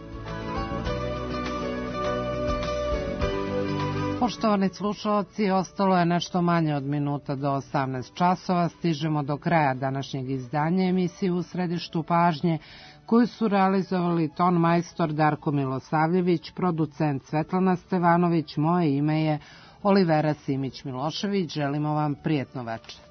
Poštovani slušalci, ostalo je nešto manje od minuta do osamnaest časova. Stižemo do kraja današnjeg izdanja emisije U središtu pažnje, koju su realizovali ton majstor Darko Milosavljević, producent Svetlana Stevanović, moje ime je Olivera Simić-Milošević. Želimo vam prijetno večer.